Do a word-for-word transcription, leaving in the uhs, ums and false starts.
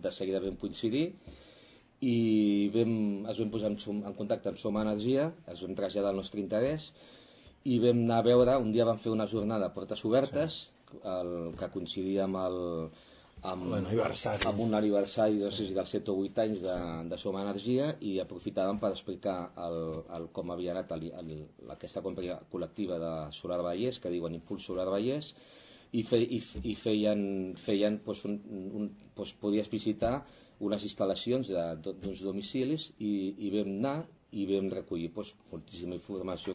de seguida vam coincidir i vam, es vam posar en, en contacte amb Som Energia, es vam traslladar el nostre interès i vam anar a veure, un dia vam fer una jornada a portes obertes, sí. el, que coincidia amb el amb, amb un aniversari no sé si dels set o vuit anys de, de Som Energia, i aprofitàvem per explicar el, el, com havia anat el, el, aquesta compra col·lectiva de Solar Vallès, que diuen Impuls Solar Vallès, i, fe, i, i feien, feien doncs, un, un, doncs, podies visitar unes instal·lacions d'uns domicilis i, i vam anar i vam recollir doncs, moltíssima informació